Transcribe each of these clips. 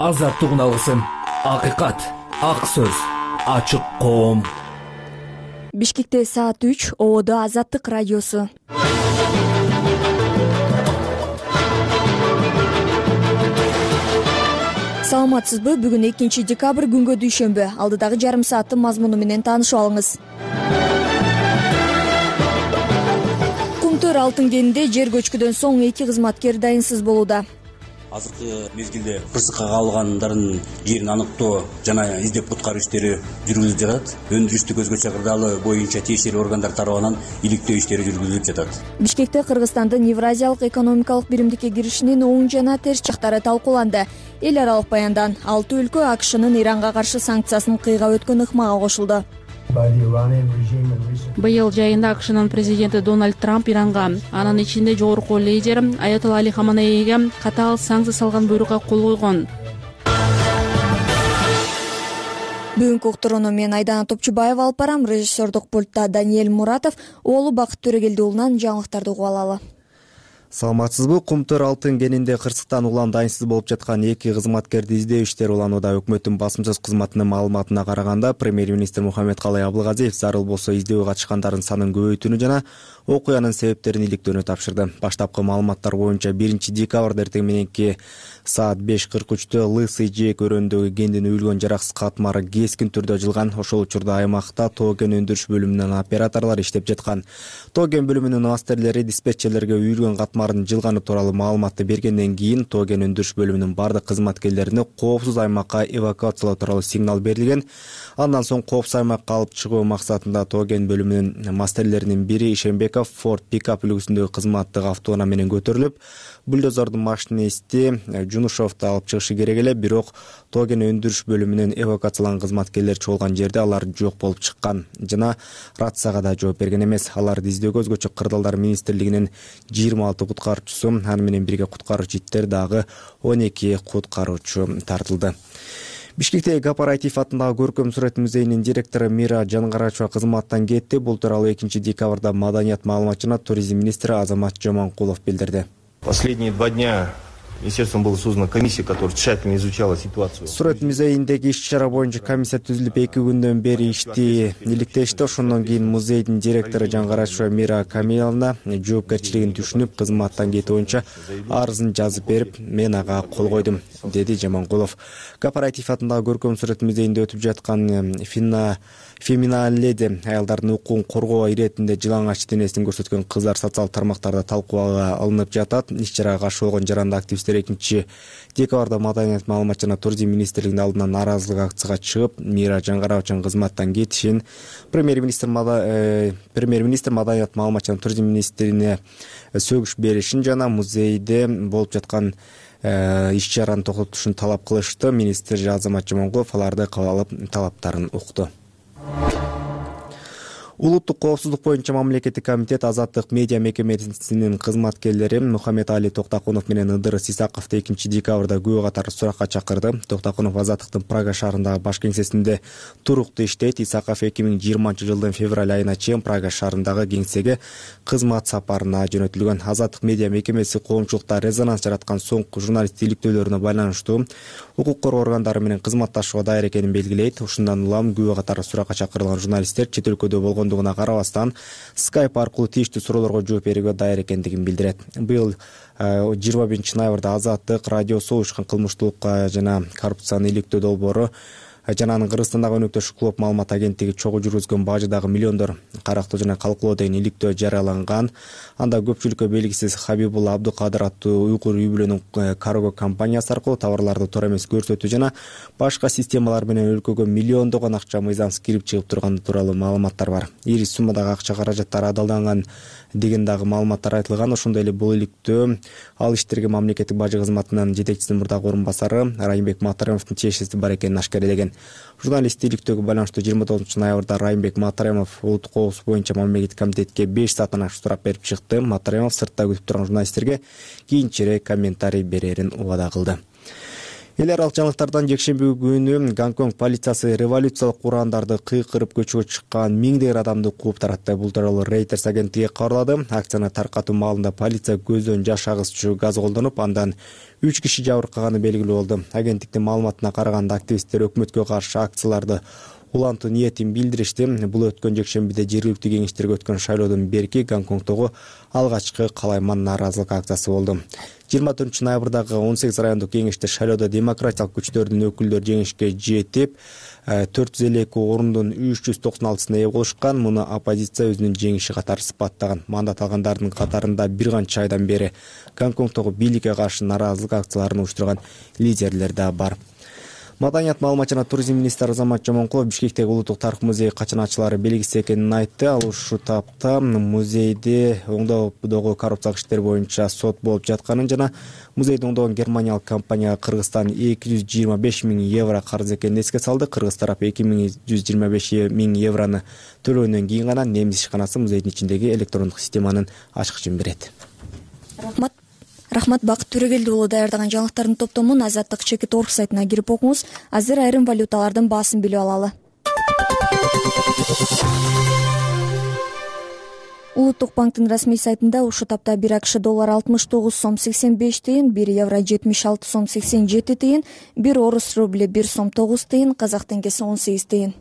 Азаттык алгысын, акыйкат, ак сөз, ачык коом. Бишкекте саат 3, Ободо Азаттык радиосу. Саламатсызбы? Бүгүн 2 декабрь күнгө дүйшөмбү. Алдыдагы жарым сааттын мазмуну менен таанышып алыңыз. Кумтөр алтын кенинде жер көчкүдөн соң 2 кызматкер дайынсыз болууда. Азыркы мезгилде кырсыкка кабылгандардын жерин аныктоо жана издеп куткаруу иштери жүргүзүлүп жатат. Өндүрүштүк өзгөчө кырдаалы боюнча тиешелүү органдар тарабынан иликтөө иштери жүргүзүлүп жатат. Бишкекте Кыргызстандын Евразиялык экономикалык биримдикке киришинин оң жана терс жактары талкууланды. Эл аралык баяндан 6 өлкө АКШнын Иранга каршы санкциясын кыйгап өткөн ыкмага кошулду. Быйыл жайында АКШнын президенти Дональд Трамп Иранга, анын ичинде жогорку лидер Аятолла Али Хаманейге катаал санкция салган буйрукка кол койгон. Бүгүнкү уктурууну мен Айдана Топчубаева алып барам. Режиссердук пультта Даниэль Муратов, уулу Бакыт Төрөгелди уулунан жаңылыктарды угуп алалы. Саламатсызбы? Кумтөр алтын кенинде кырсыктан улам дайынсыз болуп жаткан 2 кызматкерди издөө иштери уланууда. Өкмөттүн басымсыз кызматынын маалыматына караганда, премьер-министр Мухаммедкалый Абылгазиев зарыл болсо издөөгө катышкандардын санын көбөйтүүнү жана окуянын себептерин иликтөөнү тапшырды. Баштапкы маалыматтар боюнча 1 декабрда эртең мененки саат 5:43 Лысый жээк өрөөндөгү кендин үйүлгөн жараксыз катмары кескин түрдө жылган. Ошол учурда аймакта тоо кен өндүрүш бөлүмүнүн операторлору иштеп жаткан. Тоо кен бөлүмүнүн мастерлери диспетчерлерге үйүлгөн катмардын жылганы тууралуу маалыматты бергенден кийин тоо кен өндүрүш бөлүмүнүн бардык кызматкерлерине коопсуз аймакка эвакуациялоо тууралуу сигнал берилген. Андан соң коопсуз аймакка алып чыгуу максатында тоо кен бөлүмүнүн мастерлеринин бири Ишенбеков Ford пикап үлгүсүндөгү кызматтык автоунаа менен көтөрүлүп, бульдозордун машинисти Жунушовду алып чыгышы керек эле, бирок тоо кен өндүрүш бөлүмүнүн эвакуацияланган кызматкерлери чогулган жерде алар жок болуп чыккан жана рацияга да жооп берген эмес. Аларды издөөгө өзгөчө кырдаалдар министрлигинин 26 куткаруучусу, аны менен бирге куткаруучу иттер дагы 12 куткаруучу тартылды. Бишкектеги Кооператив атындагы көркөм сүрөт музейинин директору Мира Жангарачева кызматтан кетти. Бул тууралуу 2 декабрда маданият маалымат жана туризм министри Азамат Жомонкулов билдирди. Последние 2 дня министерством была создана комиссия, которая тщательно изучала ситуацию. Сүрөт музейиндеги иш-чара боюнча комиссия түзүлүп 2 күндөн бери ишти иликтешти. Ошондон кийин музейдин директору Жангарачева Мира Камиловна жоопкерчилигин түшүнүп, кызматтан кетүү боюнча арызын жазып берип, мен ага кол койдум, деди Жомонкулов. Кооператив атындагы көркөм сүрөт музейинде өтүп жаткан феминаледи аялдардын укугун коргоо иретинде жылаңач денесин көрсөткөн кыздар социалдык тармактарда талкууга алынып жатат. Иш-чарага каршы болгон жаранды активисттер 2 декабрда маданият маалымат жана туризм министрлигинин алдына нааразылык акцияга чыгып, Мира Жангарачеванын кызматтан кетишин, премьер-министр маданият маалымат жана туризм министрине сөгүш беришин жана музейде болуп жаткан иш-чараны токтотушун талап кылышты. Министр Азамат Жомонкулов аларды кабыл алып, талаптарын укту. Улуттук коопсуздук боюнча мамлекеттик комитет Азаттык медиа мекемесинин кызматкерлери Мухаммед Али Токтакунов менен Ыдырыс Исаковду 2 декабрда күбө катары суракка чакырды. Токтакунов Азаттыктын Прага шаарындагы баш кеңсесинде туруктуу иштейт. Исаков 2020 жылдын февраль айына чейин Прага шаарындагы кеңсеге кызмат сапарына жөнөтүлгөн. Азаттык медиа мекемеси коомчулукта резонанс жараткан соңку журналист иликтөөлөрүнө байланыштуу укук коргоо органдары менен кызматташууга даяр экенин белгилейт. Ушундан улам күбө катары суракка чакырылган журналисттер чет өлкөдө болгондугуна карабастан Skype аркылуу тийиштүү суроолорго жооп берүүгө даяр экендигин билдирет. Быйыл 21 ноябрда Азаттык радиосу уюшкан кылмыштуулукка жана коррупцияны иликтөө долбоору жана анын Кыргызстандагы өнөктөш клуб маалымат агенттиги чогуу жүргүзгөн бажыдагы миллиондор карактоо жана калкулоо деген иликтөө жарыяланган. Анда көпчүлүккө белгисиз Хабибулла Абдукадыр аттуу уйгур үй бүлөнүн карго компаниясы аркылуу товарларды туура эмес көрсөтүү жана башка системалар менен өлкөгө миллиондогон акча мыйзамсыз кирип чыгып турганы тууралуу маалыматтар бар. Ири суммадагы акча каражаттары адалданган деген дагы маалыматтар айтылган. Ошондой эле бул иликтөө ал иштерге мамлекеттик бажы кызматынын жетекчисинин мурдагы орун басары Райымбек Матаремовдун тиешеси бар экенин ашкарелеген. Журналист иликтөөгө байланыштуу 29 ноябрда Райымбек Матаремов улуттук коопсуздук боюнча мамлекеттик комитетке 5 сааттан ашык сурак берип чыкты. Матаремов сыртта күтүп турган журналисттерге кийинчерээк комментарий берерин убада кылды. Эл аралык жаңылыктардан жекшемби күнү Гонконг полициясы революциялык урандарды кыйкырып көчөгө чыккан миңдеген адамды кууп таратты. Бул тууралуу Reuters агенттиги кабарлады. Акцияны таркатуу маалында полиция көздөн жаш агызчу газ колдонуп, андан 3 киши жабыркаганы белгилүү болду. Агенттиктин маалыматына караганда активисттер өкмөткө каршы акцияларды улантуу ниетин билдиришти. Бул өткөн жекшембиде жергиликтүү кеңештерге өткөн шайлоодон берки Гонконгдогу алгачкы калайман нааразылык акциясы болду. 24 ноябрдагы 18 райондук кеңеште шайлоодо демократиялык күчтөрдүн өкүлдөрү жеңишке жетип, 452 орундун 396-сына ээ болушкан. Муну оппозиция өзүнүн жеңиши катары сыпаттаган. Мандат алгандардын катарында бир канча айдан бери Гонконгдогу бийликке каршы нааразылык акцияларын уюштурган лидерлер да бар. Маданият, маалымат жана туризм министри Азамат Жомонкулов Бишкектеги Улуттук тарых музей качаначылары белгисиз экенин айтты. Ал ушул тапта музейде оңдоодогу коррупциялык иштер боюнча сот болуп жатканын жана музейди оңдогон германиялык компанияга Кыргызстан 225 миң евро карыз экенин эске салды. Кыргыз тарап 2125 миң еврону төлөгөндөн кийин гана немис ишканасы музейдин ичиндеги электрондук системанын ачкычын берет. Рахмат, Бакыт Төрөгелди уулу даярдаган жаңылыктардын топтомун Азаттык Чекит.org сайтына кирип окуңуз. Азыр айрым валюталардын баасын билип алалы. Улуттук банктын расмий сайтында ушул тапта 1 АКШ доллар 69 сом 85 тыйын, 1 евро 76 сом 87 тыйын, 1 орус рубли 1 сом 9 тыйын, казак теңгеси 18 тыйын.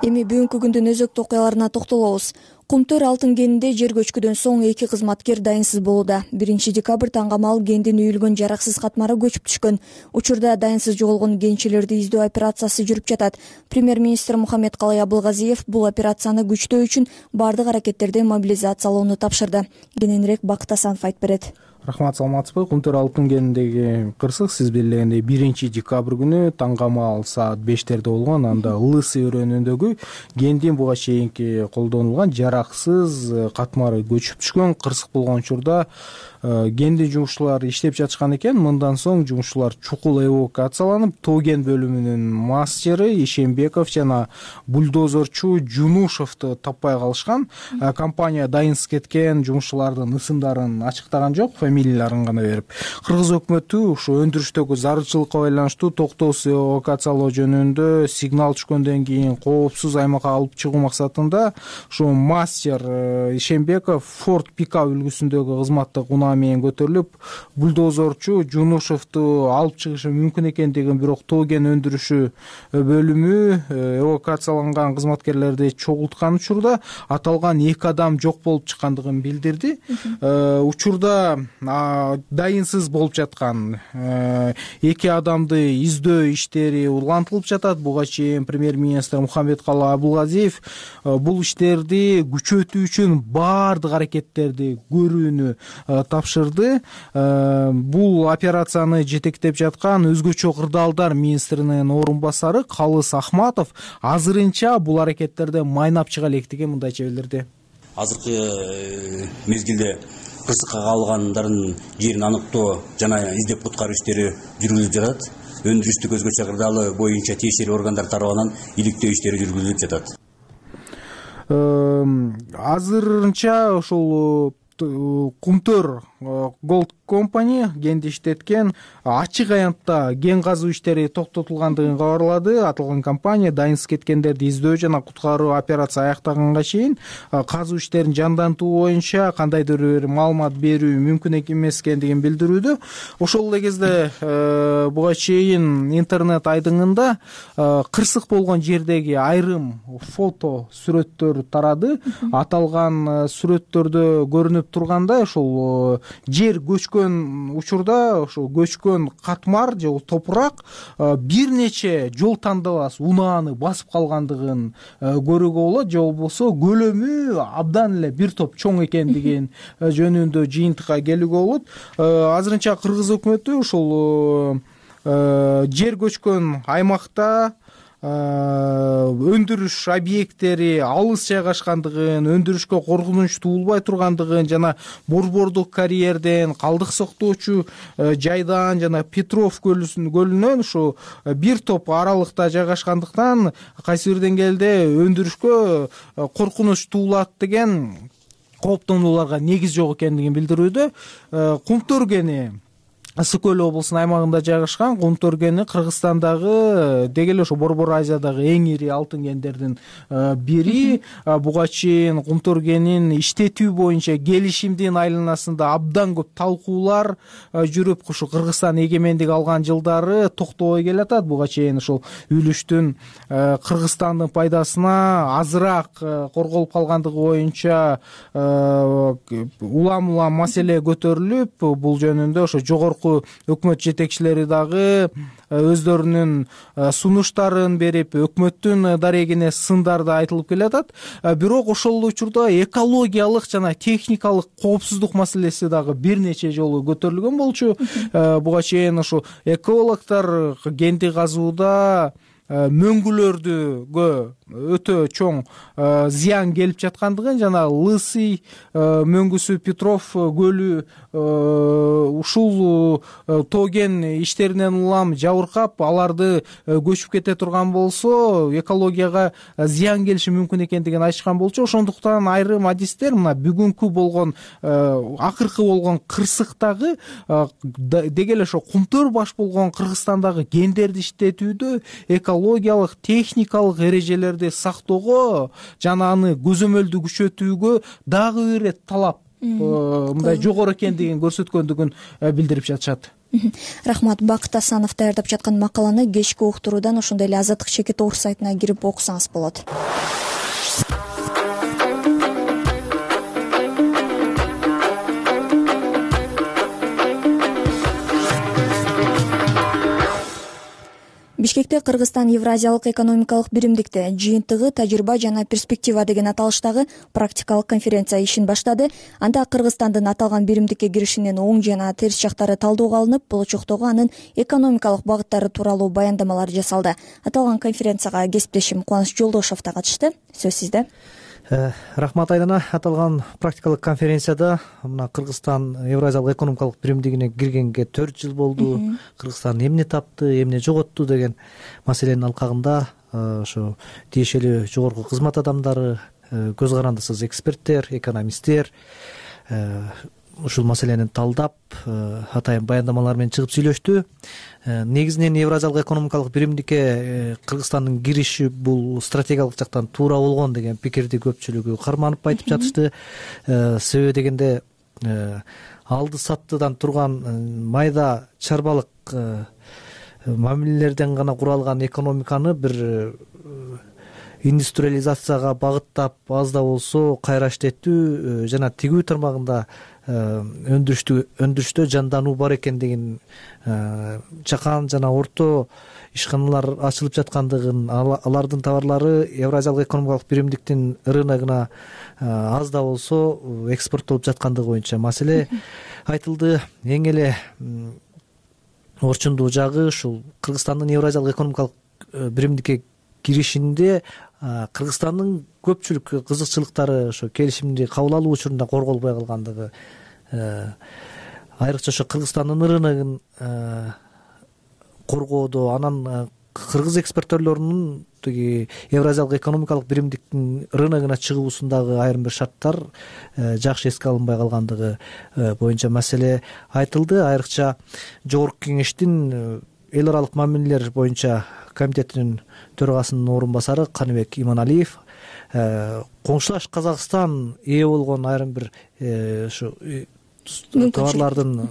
Эми бүгүнкү күндүн өзөктүү окуяларына токтолобуз. Кумтөр алтын кенинде жер көчкүдөн соң 2 кызматкер дайынсыз болууда. 1 декабрь таңгамал кендин үйүлгөн жараксыз катмары көчүп түшкөн. Учурда дайынсыз жоголгон кенчилерди издөө операциясы жүрүп жатат. Премьер-министр Мухаммедкалый Абылгазиев бул операцияны күчтөө үчүн бардык аракеттерди мобилизациялоону тапшырды. Кененирээк Бакыт Асанов айтып берет. Рахмат, саламатсызбы? Кумтөр алтын кениндеги кырсык сиз билгендей 1 декабрь күнү таңгамал саат 5-терде болгон. Анда Лысы өрөөнүндөгү кендин буга чейинки колдонулган жараксыз катмары көчүп түшкөн. Кырсык болгон учурда кендин жумушчулары иштеп жатышкан экен. Мындан соң жумушчулар чукул эвакуацияланып, тоо кен бөлүмүнүн мастери Ишембеков жана бульдозерчу Жунушевду таппай калышкан. Компания дайынсыз кеткен жумушчулардын ысымдарын ачыктаган жок, фамилияларын гана берип. Кыргыз өкмөтү ушу өндүрүштөгү зарылчылыкка байланыштуу токтоосуз эвакуациялоо жөнүндө сигнал түшкөндөн кийин коопсуз аймакка алып чыгуу максатында ушу мастер Ишембеков Ford пикап үлгүсүндөгү кызматтык унаа менен көтөрүлүп, бульдозерчу Жунушевду алып чыгышы мүмкүн экендигин, бирок тоо кен өндүрүшү бөлүмү эвакуацияланган кызматкерлерди чогулткан учурда аталган 2 адам жок болуп чыккандыгын билдирди. Учурда дайынсыз болуп жаткан 2 адамды издөө иштери улантылып жатат. Буга чейин премьер-министр Мухаммедкалый Абылгазиев бул иштерди күчөтүү үчүн бардык аракеттерди көрүүнү тапшырды. Бул операцияны жетектеп жаткан өзгөчө кырдаалдар министринин орун басары Калыс Ахматов азырынча бул аракеттерди майнап чыга электигин мындайча билдирди. Азыркы мезгилде кырсыкка калгандардын жерин аныктоо жана издеп куткаруу иштери жүргүзүлүп жатат. Өндүрүштүк өзгөчө кырдаалы боюнча тиешелүү органдар тарабынан иликтөө иштери жүргүзүлүп жатат. Азырынча ошол Кумтөр Gold Company кенди иштеткен ачык аянтта кен казуу иштери токтотулгандыгын кабарлады. Аталган компания дайынсыз кеткендерди издөө жана куткаруу операция аяктаганга чейин казуу иштерин жандантуу боюнча кандайдыр бир маалымат берүү мүмкүн эмес экендигин билдирүүдө. Ошол эле кезде буга чейин интернет айдыңында кырсык болгон жердеги айрым фото сүрөттөр тарады. Аталган сүрөттөрдө көрүнүп тургандай ошол жер көчкөн учурда ошо көчкөн катмар же топурак бир нече жол тандабас унааны басып калгандыгын көрүүгө болот, же болбосо көлөмү абдан эле бир топ чоң экендигин жөнүндө жыйынтыкка келүүгө болот. Азырынча кыргыз өкмөтү ошол жер көчкөн аймакта өндүрүш объекттери алыс жайгашкандыгын, өндүрүшкө коркунуч туулбай тургандыгын жана Борбордук карьерден, калдык сактоочу жайдан жана Петров көлүнөн ушу бир топ аралыкта жайгашкандыктан кайсы бир деңгээлде өндүрүшкө коркунуч туулат деген кооптонууларга негиз жок экендигин билдирүүдө. Кумтөргени Ысык көл облусунун аймагында жайгашкан. Кумтөргени Кыргызстандагы деги эле ошо Борбор Азиядагы эң ири алтын кендердин бири. Буга чейин Кумтөргенин иштетүү боюнча келишимдин айланасында абдан көп талкуулар жүрүп, ушу Кыргызстан эгемендик алган жылдары токтобой келатат. Буга чейин ушул үлүштүн Кыргызстандын пайдасына азыраак корголуп калгандыгы боюнча улам маселе көтөрүлүп, бул жөнүндө ошо жогорку өкмөт жетекчилери дагы өздөрүнүн сунуштарын берип, өкмөттүн дарегине сындарды айтылып келатат. Бирок ошол учурда экологиялык жана техникалык коопсуздук маселеси дагы бир нече жолу көтөрүлгөн болчу. Буга чейин ушу экологдор кенди казууда мөңгүлөрдүгө өтө чоң зыян келип жаткандыгын жана Лысый мөңгүсү, Петров көлү ушул тоген иштеринен улам жабыркап, аларды көчүп кете турган болсо экологияга зыян келиши мүмкүн экендигин айтышкан болчу. Ошондуктан айрым адистер мына бүгүнкү болгон акыркы болгон кырсыктагы деги эле ошо кумтөр баш болгон Кыргызстандагы кендерди иштетүүдө экологиялык, техникалык эрежелерди сактоого жана аны көзөмөлдү күчөтүүгө дагы бир ирет талап мындай жогору экендигин көрсөткөндүгүн билдирип жатышат. Рахмат. Бакыт Асанов даярдап жаткан макаланы кечки уктуруудан ошондой эле Азаттык Чекит Оор сайтына кирип окусаңыз болот. Бишкекте Кыргызстан Евразиялык экономикалык биримдикте жыйынтыгы тажрыйба жана перспектива деген аталыштагы практикалык конференция ишин баштады. Анда Кыргызстандын аталган биримдикке киришинин оң жана терс жактары талдоого алынып, болочоктогу анын экономикалык багыттары тууралуу баяндамалар жасалды. Аталган конференцияга кесиптешим Кубаныч Жолдошов да катышты. Сөз сизде. Рахмат Айдана. Аталган практикалык конференцияда мына Кыргызстан Евразиялык экономикалык биримдигине киргенге 4 жыл болду. Кыргызстан эмне тапты, эмне жоготту деген маселенин алкагында ошо тиешелүү жогорку кызмат адамдары, көз карандысыз эксперттер, экономисттер ушул маселени талдап, атайын баяндамалар менен чыгып сүйлөштү. Негизинен Евразиялык экономикалык биримдикке Кыргызстандын кириши бул стратегиялык жактан туура болгон деген пикирди көпчүлүгү карманып айтып жатышты. Себеби дегенде алды саттыдан турган майда чарбалык мамилелерден гана куралган экономиканы бир индустриализацияга багыттап, аз да болсо кайра иштеттүү жана тигүү тармагында өндүрүштө жандануу бар экендигин, чакан жана орто ишканалар ачылып жаткандыгын, алардын товарлары Евразиялык экономикалык биримдиктин рыногуна аз да болсо экспорттолуп жаткандыгы боюнча маселе айтылды. Эң эле орчундуу жагы ушул Кыргызстандын Евразиялык экономикалык биримдикке киришинде Кыргызстандын көпчүлүк кызыкчылыктары ошо келишимди кабыл алуу учурунда корголбой калгандыгы, айрыкча ошо Кыргызстандын рыногун коргоодо, анан кыргыз экспортторлорунун тиги Евразиялык экономикалык биримдиктин рыногуна чыгуусундагы айрым бир шарттар жакшы эске алынбай калгандыгы боюнча маселе айтылды. Айрыкча жогорку кеңештин эл аралык мамилелер боюнча комитетинин төрагасынын орун басары Каныбек Иманалиев коңшулаш Казакстан ээ болгон айрым бир ушу товарлардын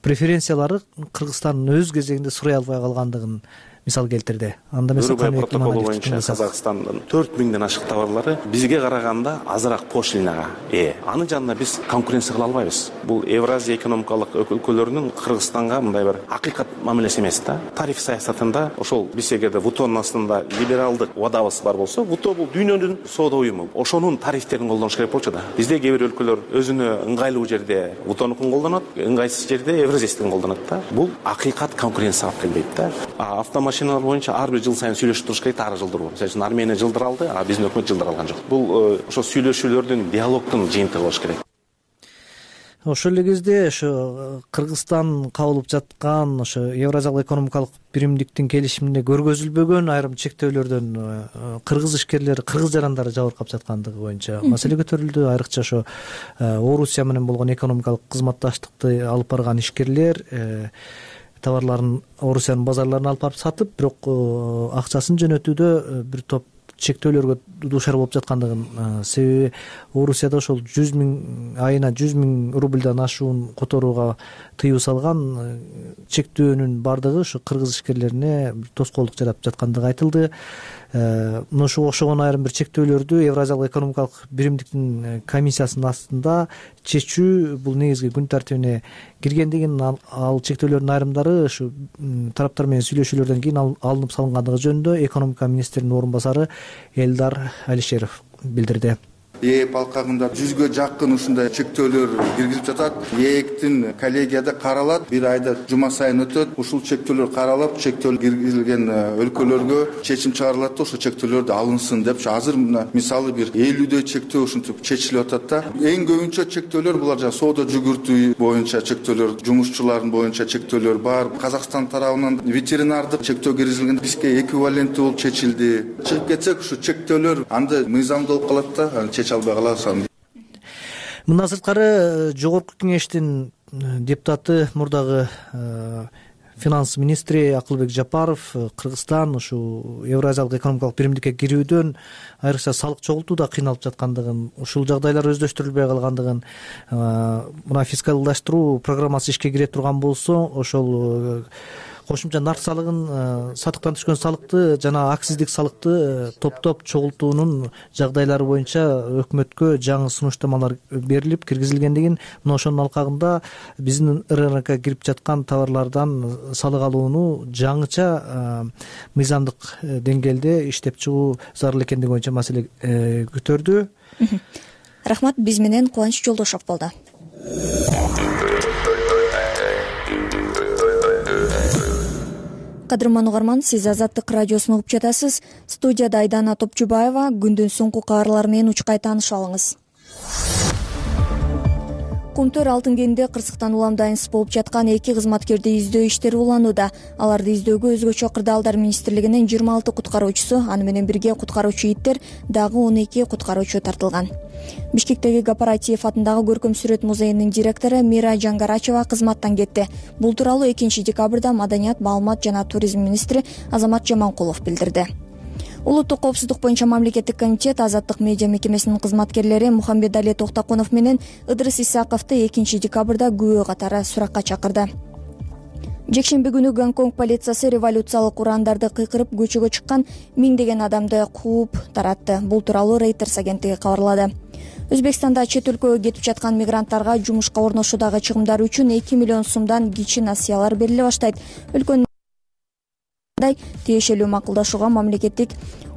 преференциялары Кыргызстандын өз кезегинде сурай албай калгандыгын мисал келтирди. Анда эмес протоколу боюнча Казакстандын 4000ден ашык товарлары бизге караганда азыраак пошлинага ээ. Анын жанында биз конкуренция кыла албайбыз. Бул Евразия экономикалык өлкөлөрүнүн Кыргызстанга мындай бир акыйкат мамилеси эмес да. Тариф саясатында ошол биз эгерде ВТОнун астында либералдык убадабыз бар болсо, ВТО бул дүйнөнүн соода уюму. Ошонун тарифтерин колдонуш керек болчу да. Бизде кээ бир өлкөлөр өзүнө ыңгайлуу жерде ВТОнукун колдонот, ыңгайсыз жерде Евразиясын колдонот да. Бул акыйкат конкуренция алып келбейт да. Автомашина машиналар боюнча ар бир жыл сайын сүйлөшүп туруш керек, ар жылдыруу. Мисалы үчүн Армения жылдыра алды, а биздин өкмөт жылдыра алган жок. Бул ошо сүйлөшүүлөрдүн, диалогдун жыйынтыгы болуш керек. Ошол эле кезде ошо Кыргызстан кабыл алып жаткан ошо Евразиялык экономикалык биримдиктин келишимине көргөзүлбөгөн айрым чектөөлөрдөн кыргыз ишкерлери, кыргыз жарандары жабыркап жаткандыгы боюнча маселе көтөрүлдү. Айрыкча ошо Орусия менен болгон экономикалык кызматташтыкты алып барган ишкерлер товарларын Орусиянын базарларына алып барып сатып, бирок акчасын жөнөтүүдө бир топ чектөөлөргө дуушар болуп жаткандыгын, себеби Орусияда ошол айына 100 000 рубльдан ашуун которууга тыюу салган чектөөнүн бардыгы ушу кыргыз ишкерлерине тоскоолдук жаратып жаткандыгы айтылды. Мына ошого окшогон айрым бир чектөөлөрдү Евразиялык экономикалык биримдиктин комиссиясынын астында чечүү бул негизги күн тартибине киргендигин, ал чектөөлөрдүн айрымдары ушу тараптар менен сүйлөшүүлөрдөн кийин алынып салынгандыгы жөнүндө экономика министринин орун басары Элдар Алишеров билдирди. ээп алкагында 100гө жакын ушундай чектөөлөр киргизип жатат. ээктин коллегияда каралат, бир айда жума сайын өтөт. Ушул чектөөлөр каралып, чектөөл киргизилген өлкөлөргө чечим чыгарылат да ошол чектөөлөрдү алынсын деп. Азыр мисалы бир 50дөй чектөө ушинтип чечилип атат да. Эң көбүнчө чектөөлөр булар жана соода жүгүртүү боюнча чектөөлөр, жумушчулардын боюнча чектөөлөр бар. Казакстан тарабынан ветеринардык чектөө киргизилген, бизге эквиваленти болуп чечилди. Чыгып кетсек ушу чектөөлөр анда мыйзамдуу болуп калат да, албай каласың. Мындан сырткары жогорку кеңештин депутаты, мурдагы финанс министри Акылбек Жапаров Кыргызстан ушу Евразиялык экономикалык биримдикке кирүүдөн айрыкча салык чогултууда кыйналып жаткандыгын, ушул жагдайлар өздөштүрүлбөй калгандыгын, мына фискалдаштыруу программасы ишке кире турган болсо ошол кошумча нарк салыгын, сатыктан түшкөн салыкты жана акциздик салыкты топтоп чогултуунун жагдайлары боюнча өкмөткө жаңы сунуштамалар берилип киргизилгендигин, мына ошонун алкагында биздин РНК кирип жаткан товарлардан салык алууну жаңыча мыйзамдык деңгээлде иштеп чыгуу зарыл экендиги боюнча маселе көтөрдү. Рахмат, биз менен Кубаныч Жолдошов болду. Кадырман угарман, сиз Азаттык радиосун угуп жатасыз. Студияда Айдана Топчубаева. Күндүн соңку кабарлары менен учкай таанышып алыңыз. Кумтөр алтын кенинде кырсыктан улам дайынсыз болуп жаткан 2 кызматкерди издөө иштери уланууда. Аларды издөөгө өзгөчө кырдаалдар министрлигинин 26 куткаруучусу, аны менен бирге куткаруучу иттер, дагы 12 куткаруучу тартылган. Бишкектеги Кооператив атындагы көркөм сүрөт музейинин директору Мира Жангарачева кызматтан кетти. Бул тууралуу 2 декабрда Маданият, маалымат жана туризм министри Азамат Жаманкулов билдирди. Улуттук коопсуздук боюнча мамлекеттик комитет Азаттык медиа мекемесинин кызматкерлери Мухаммедали Токтокунов менен Ыдырыс Исаковду 2 декабрда күбө катары суракка чакырды. Жекшемби күнү Гонконг полициясы революциялык урандарды кыйкырып көчөгө чыккан миңдеген адамды кууп таратты. Бул тууралуу Reuters агенттиги кабарлады. Өзбекстанда чет өлкөгө кетип жаткан мигранттарга жумушка орношуудагы чыгымдар үчүн 2 миллион сомдон кичи насыялар бериле баштайт. Өлкөнүн тиешелүү макулдашууга мамлекеттик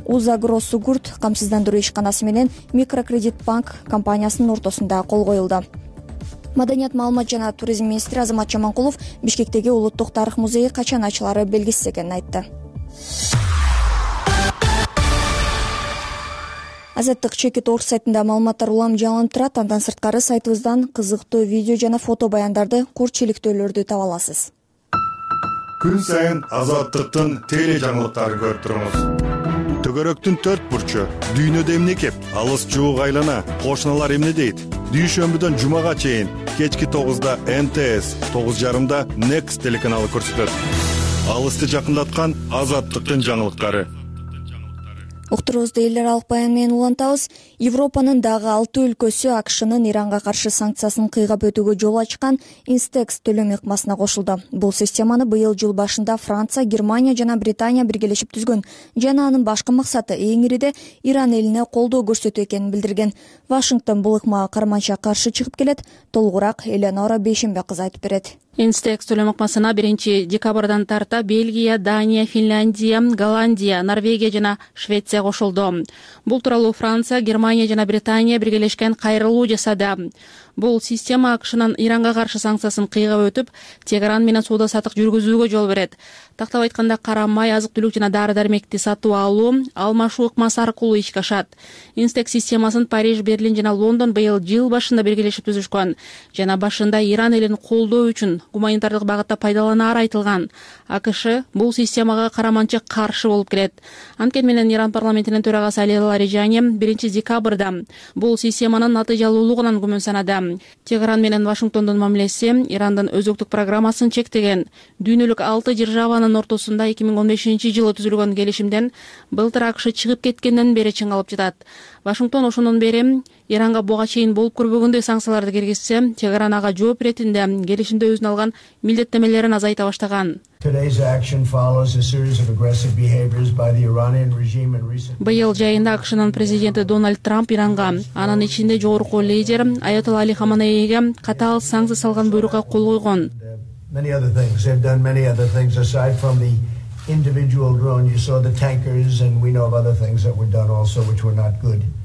Узагросугурт камсыздандыруу ишканасы менен Микрокредит банк компаниясынын ортосунда кол коюлду. Маданият, маалымат жана туризм министри Азамат Жаманкулов Бишкектеги улуттук тарых музейи качан ачылары белгисиз экенин айтты. Азаттык Чекит.орг сайтында маалыматтар улам жаңылып турат. Андан сырткары сайтыбыздан кызыктуу видео жана фото баяндарды, курч чиликтөөлөрдү таба аласыз. Күн сайын Азаттыктын теле жаңылыктарын көрүп туруңуз. Төгөрөктүн 4 бурчу, дүйнөдө эмне кеп, алыс жуук айлана, кошуналар эмне дейт? Дүйшөмбүдөн жумага чейин кечки 9да НТС, 9:30да Next телеканалы көрсөтөт. Алысты жакындаткан Азаттыктын жаңылыктары. Уктуруубузду эл аралык баян менен улантабыз. Европанын дагы 6 өлкөсү АКШнын Иранга каршы санкциясын кыйгап өтүүгө жол ачкан Instex төлөм ыкмасына кошулду. Бул системаны быйыл жыл башында Франция, Германия жана Британия биргелешип түзгөн жана анын башкы максаты эң ириде Иран элине колдоо көрсөтүү экенин билдирген. Вашингтон бул ыкмага карманча каршы чыгып келет. Толугураак Эленора Бейшембе кызы айтып берет. Instex төлөм ыкмасына 1 декабрдан тарта Бельгия, Дания, Финляндия, Голландия, Норвегия жана Швеция кошулду. Бул тууралуу Франция, Германия жана Британия биргелешкен кайрылуу жасады. Бул система АКШнын Иранга каршы санкциясын кыйгап өтүп, Тегеран менен соода саттык жүргүзүүгө жол берет. Тактап айтканда, кара май, азык-түлүк жана дары-дармекти сатып алуу, алмашуу ыкмасы аркылуу ишке ашат. Инстек системасын Париж, Берлин жана Лондон быйыл жыл башында биргелешип түзүшкөн жана башында Иран элин колдоо үчүн гуманитардык багытта пайдаланаары айтылган. АКШ бул системага караманча каршы болуп келет. Анткени менен Иран парламентинин төрагасы Али Ларижани 1 декабрда бул системанын натыйжалуулугунан күмөн санады. Тегеран менен Вашингтондун мамилеси Ирандын өзөктүк программасын чектеген. Дүйнөлүк 6 державанын ортосунда 2015-жылы түзүлгөн келишимден былтыр АКШ чыгып кеткенден бери чыңалып жатат. Вашингтон ошондон бери Иранга буга чейин болуп көрбөгөндөй санкцияларды киргизсе, Тегеран ага жооп иретинде келишимде өзүнө алган милдеттемелерин азайта баштаган. Быйыл жайында АКШнын президенти Дональд Трамп Иранга, анын ичинде жогорку лидер Аятолла Али Хаманейге катаал санкция салган буйрукка кол койгон.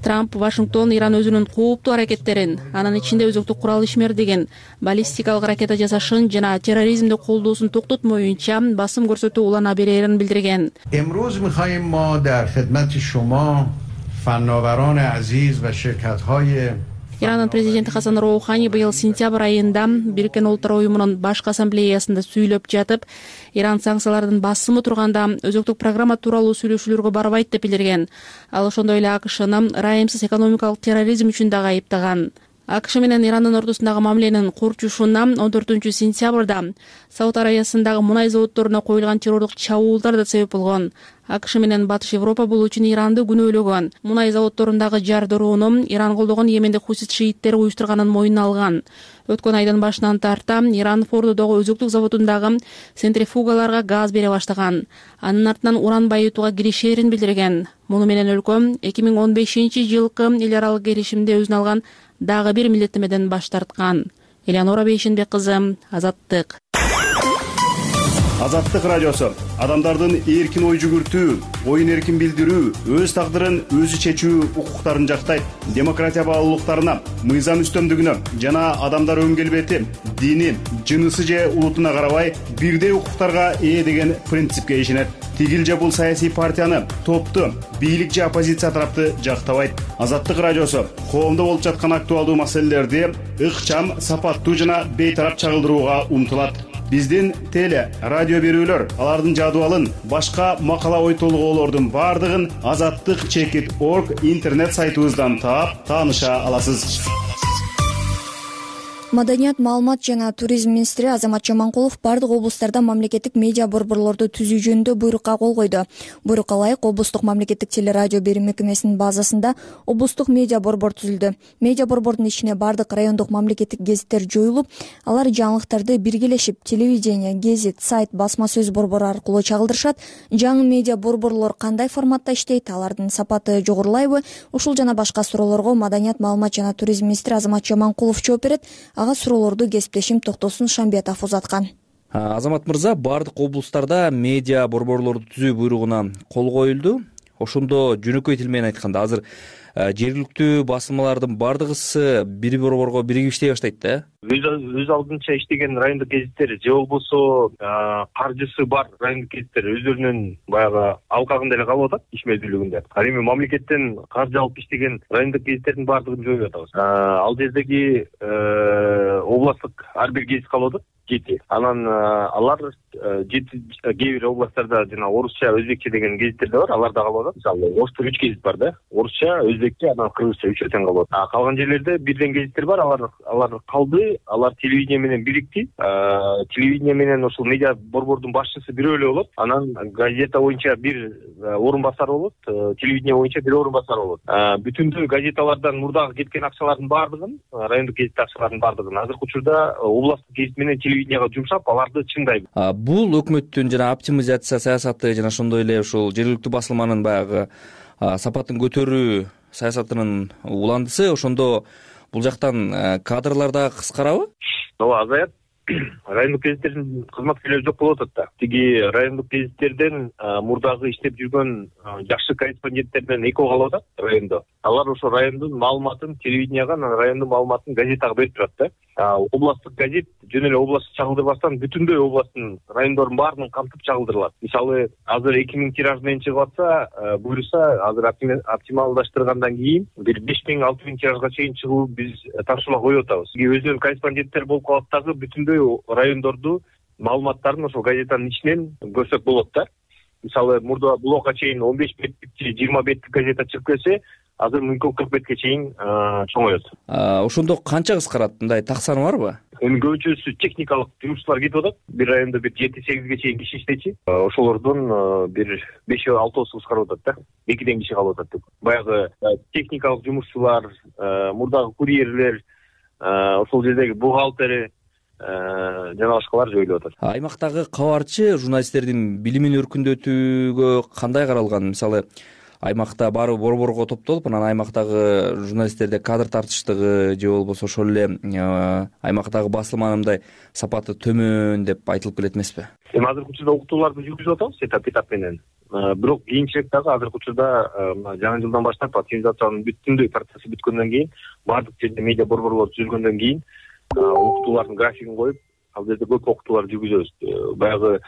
Трамп Вашингтон Иран өзүнүн кооптуу аракеттерин, анын ичинде өзөктүк курал ишмердигин, баллистикалык ракета жасашын жана терроризмди колдоосун токтотмоюнча басым көрсөтүү улана берерин билдирген. امروز می‌خواهیم ما در خدمت شما فناوران عزیز و شرکت‌های Иранын президенти Хасан Роухани быйыл сентябрь айында Бириккен Улуттар уюмунун башкы ассамблеясында сүйлөп жатып, Иран санкциялардын басымы турганда өзөктүк программа тууралуу сүйлөшүүлөргө барбайт деп билдирген. Ал ошондой эле АКШны ырайымсыз экономикалык терроризм үчүн дагы айыптаган. АКШ менен Ирандын ортосундагы мамиленин курчушуна 14 сентябрда Сауд Арабиясындагы мунай заводдоруна коюлган террордук чабуулдар да себеп болгон. АКШ менен Батыш Европа бул үчүн Иранды күнөөлөгөн. Мунай заводдорундагы жардырууну Иран колдогон Йемендик хусит шииттери уюштурганын мойнуна алган. Өткөн айдын башынан тарта Иран Фордодогу өзөктүк заводундагы центрифугаларга газ бере баштаган. Анын артынан уран байытууга киришерин билдирген. Муну менен өлкө 2015-жылкы эл аралык келишимде өзүнө алган дагы бир милдеттемеден баш тарткан. Элеонора Бейшенбек кызы, Азаттык. Азаттык радиосу адамдардын эркин ой жүгүртүү, оюн эркин билдирүү, өз тагдырын өзү чечүү укуктарын жактайт. Демократия баалуулуктарына, мыйзам үстөмдүгүнө жана адамдар өн келбети, дини, жынысы же улутуна карабай бирдей укуктарга ээ деген принципке ишенет. Тигил же бул саясий партияны, топту, бийлик же оппозиция тарапты жактабайт. Азаттык радиосу коомдо болуп жаткан актуалдуу маселелерди ыкчам, сапаттуу жана бейтарап чагылдырууга умтулат. Биздин теле, радио берүүлөр, алардын жадыбалын, башка макала ой толгоолордун бардыгын azattik.org интернет сайтыбыздан таап, тааныша аласыз. Маданият, маалымат жана туризм министри Азамат Жаманкулов бардык облустарда мамлекеттик медиа борборлорду түзүү жөнүндө буйрукка кол койду. Буйрукка ылайык облустук мамлекеттик телерадио берүү мекемесинин базасында облустук медиа борбор түзүлдү. Медиа борбордун ичине бардык райондук мамлекеттик гезиттер жоюлуп, алар жаңылыктарды биргелешип телевидение, гезит, сайт, басма сөз борбору аркылуу чагылдырышат. Жаңы медиа борборлор кандай форматта иштейт, алардын сапаты жогорулайбы? Ушул жана башка суроолорго Маданият, маалымат жана туризм министри Азамат Жаманкулов жооп берет. Ага суроолорду кесиптешим Токтосун Шамбиятов узаткан. Азамат мырза, бардык облустарда медиа борборлорду түзүү буйругуна кол коюлду. Ошондо жөнөкөй тил менен айтканда азыр жергиликтүү басылмалардын бардыгысы бири борборго биригип иштей баштайт да. Өз алдынча иштеген райондук гезиттер же болбосо каржысы бар райондук гезиттер өздөрүнүн баягы алкагында эле калып атат, ишмердүүлүгүндө. Ал эми мамлекеттен каржы алып иштеген райондук гезиттердин бардыгын жоюп атабыз. Ал жердеги областтык ар бир гезит калып атат. Анан алар кээ бир областтарда жана орусча, өзбекче деген гезиттер да бар, алар да калып атат. Мисалы, Ошто 3 гезит бар да. Орусча, өзбекче, анан кыргызча 3 тең калып атат. Калган жерлерде бирден гезиттер бар, алар калды, алар телевидение менен бирикти. Телевидение менен ошол медиа борбордун башчысы бирөө эле болот. Анан газета боюнча бир орун басар болот, телевидение боюнча бир орун басар болот. Бүтүндүү газеталардан мурдагы кеткен акчалардын бардыгын, райондук гезит акчаларынын бардыгын азыркы учурда областтык гезит менен телевиденияга жумшап, аларды чыңдайбыз. Бул өкмөттүн жана оптимизация саясаты жана ошондой эле ушул жергиликтүү басылманын баягы сапатын көтөрүү саясатынын уландысы. Ошондо бул жактан кадрлар да кыскарабы? Ооба, азаят. райондук гезиттердин кызматкерлери жок болуп атат да. Тиги райондук гезиттерден мурдагы иштеп жүргөн жакшы корреспонденттер менен экөө калып атат райондо. Алар ошо райондун маалыматын телевиденияга, анан райондун маалыматын газетага берип турат да. Областтык газет жөн эле областты чагылдырбастан бүтүндөй областтын райондордун баарын камтып чагылдырылат. Мисалы, азыр 2000 тираж менен чыгып атса, буюрса азыр оптималдаштыргандан кийин бир 5000-6000 тиражга чейин чыгуу биз тапшырма коюп атабыз. Өзүнүн корреспонденттер болуп калат дагы бүтүндөй райондорду маалыматтарын ошол газетанын ичинен көрсөк болот да. Мисалы, мурда булга чейин 15 беттик же 20 беттик газета чыгып келсе, азыр мүмкүн 40 бетке чейин чоңоет. Ошондо канча кыскарат? Мындай так саны барбы? Эми көбүнчөсү техникалык жумушчулар кетип атат. Бир райондо бир 7-8ге чейин киши иштечи. Ошолордон бир 5-6 кыскарып атат да. 2ден киши калып атат деп. Баягы техникалык жумушчулар, мурдагы курьерлер, ошол жердеги бухгалтери жана башкалар жоюлуп атат. Аймактагы кабарчы журналисттердин билимин өркүндөтүүгө кандай каралган? Мисалы, аймакта баары борборго топтолуп, анан аймактагы журналисттерде кадр тартыштыгы же болбосо ошол эле аймактагы басылманын мындай сапаты төмөн деп айтылып келет эмеспи? Эми азыркы учурда уктууларды жүргүзүп атабыз этап менен. Бирок кийинчерээк дагы азыркы учурда жаңы жылдан баштап активизациянын бүтүндөй процесси бүткөндөн кийин, баардык жерде медиа борборлор түзүлгөндөн кийин уктуулардын графигин коюп, ал жерде көп уктуулар жүргүзөбүз. Баягы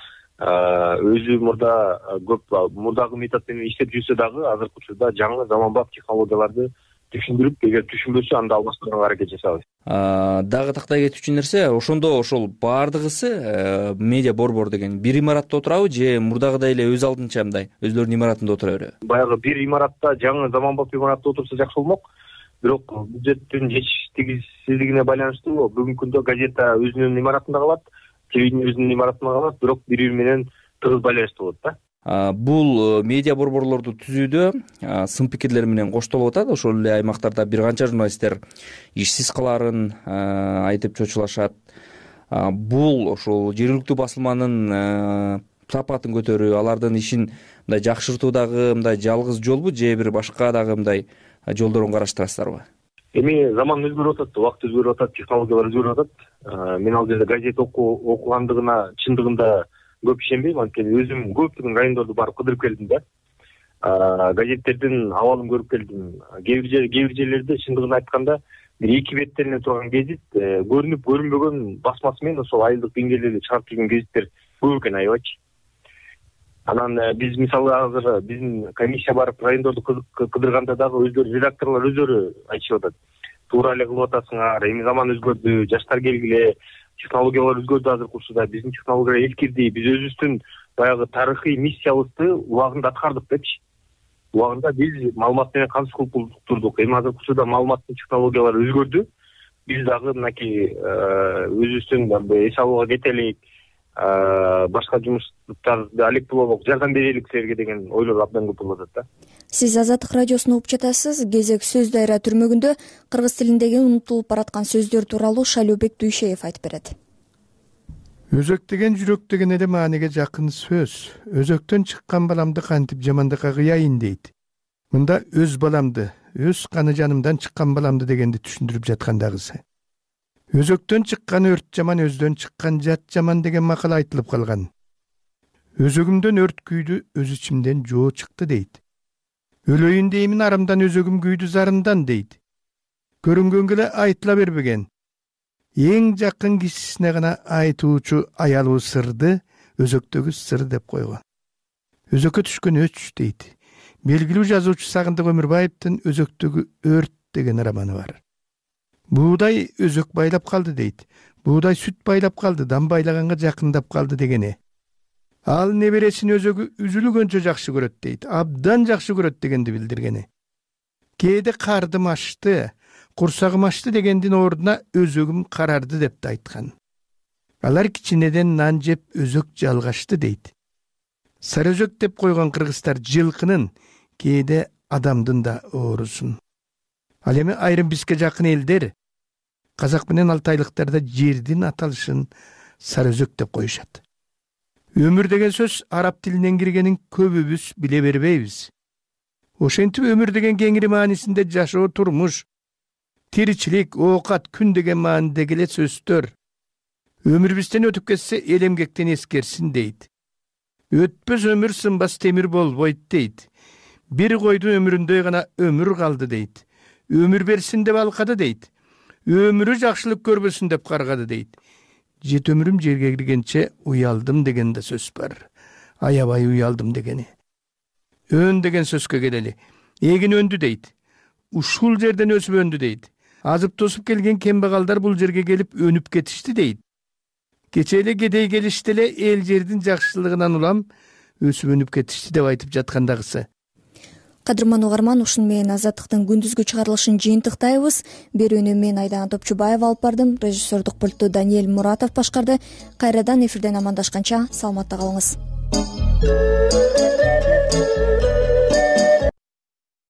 өзү мурдагы метод менен иштеп жүрсө дагы азыркы учурда жаңы заманбап технологияларды түшүндүрүп, эгер түшүнбөсө анда алмаштырганга аракет жасайбыз. Дагы тактай кетүүчү нерсе, ошондо ошол баардыгысы медиа борбор деген бир имаратта отурабы же мурдагыдай эле өз алдынча мындай өзлөрүнүн имаратында отура береби? Баягы бир имаратта, жаңы заманбап имаратта отурса жакшы болмок. Бирок бюджеттин жетишсиздигине байланыштуу бүгүнкү күндө газета өзүнүн имаратында калат, телевидение өзүнүн имаратында калат, бирок бири-бири менен тыгыз байланыштуу болот да. Бул медиа борборлорду түзүүдө сын пикирлер менен коштолуп атат. Ошол эле аймактарда бир канча журналисттер ишсиз калаарын айтып чочулашат. Бул ошол жергиликтүү басылманын сапатын көтөрүү, алардын ишин мындай жакшыртуудагы мындай жалгыз жолбу же бир башка дагы мындай жолдорун караштырасыздарбы? Эми заман өзгөрүп атат, убакыт өзгөрүп атат, технологиялар өзгөрүп атат. Мен ал жерде газет окугандыгына чындыгында көп ишенбейм, анткени өзүм көптөгөн райондорду барып кыдырып келдим да. Газеттердин абалын көрүп келдим. Кээ бир жерлерде чындыгын айтканда бир 2 беттен турган гезит көрүнүп көрүнбөгөн басмасы менен ошол айылдык деңгээлде чыгарып жүргөн гезиттер көп экен, аябайчы. Анан биз мисалы азыр биздин комиссия барып райондорду кыдырганда дагы өздөрү редакторлор өздөрү айтышып атат. Туура эле кылып атасыңар, эми заман өзгөрдү, жаштар келгиле, технологиялар өзгөрдү азыркы учурда, биздин технологиялар эскирди, биз өзүбүздүн баягы тарыхый миссиябызды убагында аткардык депчи. Убагында биз маалымат менен камсыз кылып турдук. Эми азыркы учурда маалыматтын технологиялары өзгөрдү. Биз дагы мынакей өзүбүздүн эс алууга кетелик, башка жумуштарды алектолоп жардам берелик силерге деген ойлор абдан көп болуп атат да. Сиз Азаттык радиосун угуп жатасыз. Кезек сөз дайра түрмөгүндө кыргыз тилиндеги унутулуп бараткан сөздөр тууралуу Шайлообек Дүйшеев айтып берет. Өзөк деген жүрөк деген эле мааниге жакын сөз. Өзөктөн чыккан баламды кантип жамандыкка кыяйын дейт. Мында өз баламды, өз каны жанымдан чыккан баламды дегенди түшүндүрүп жаткандагысы. Өзөктөн чыккан өрт жаман, өздөн чыккан жат жаман деген макал айтылып калган. Өзөгүмдөн өрт күйдү, өз ичимден жоо чыкты дейт. Өлөйүн деймин арамдан, өзөгүм күйдү зарымдан дейт. Көрүнгөнгө эле айтыла бербеген. Эң жакын кишисине гана айтуучу аялуу сырды өзөктөгү сыр деп койгон. Өзөккө түшкөн өч дейт. Белгилүү жазуучу Сагындык Өмүрбаевдин Өзөктөгү өрт деген романы бар. Буудай өзөк байлап калды дейт. Буудай сүт байлап калды, дам байлаганга жакындап калды дегени. Ал небересин өзөгү үзүлгөнчө жакшы көрөт дейт. Абдан жакшы көрөт дегенди билдиргени. Кээде кардым ашты, курсагым ашты дегендин ордуна өзөгүм карарды деп да айткан. Алар кичинеден нан жеп өзөк жалгашты дейт. Сары өзөк деп койгон кыргыздар жылкынын, кээде адамдын да оорусун. Ал эми айрым бизге жакын элдер казак менен алтайлыктарда жердин аталышын сары өзөк деп коюшат. Өмүр деген сөз араб тилинен киргенин көбүбүз биле бербейбиз. Ошентип өмүр деген кеңири маанисинде жашоо, турмуш, тиричилик, оокат, күн деген маанидеги эле сөздөр. Өмүрүбүздөн өтүп кетсе эл эмгектен эскерсин дейт. Өтпөс өмүр сынбас темир болбойт дейт. Бир койдун өмүрүндөй гана өмүр калды дейт. Өмүр берсин деп алкады дейт. Өмүрү жакшылык көрбөсүн деп каргады дейт. Жет өмүрүм жерге киргенче уялдым деген да сөз бар. Аябай уялдым дегени. Өн деген сөзгө келели. Эгин өндү дейт. Ушул жерден өсүп өндү дейт. Азып тосуп келген кембагалдар бул жерге келип өнүп кетишти дейт. Кече эле кедей келишти эле эл жердин жакшылыгынан улам өсүп өнүп кетишти деп айтып жаткандагысы. Кадырман угарман, ушуну менен Азаттыктын күндүзгү чыгарылышын жыйынтыктайбыз. Берүүнү мен Айдана Топчубаева алып бардым. Режиссердук пультту Даниэль Муратов башкарды. Кайрадан эфирден амандашканча саламатта калыңыз.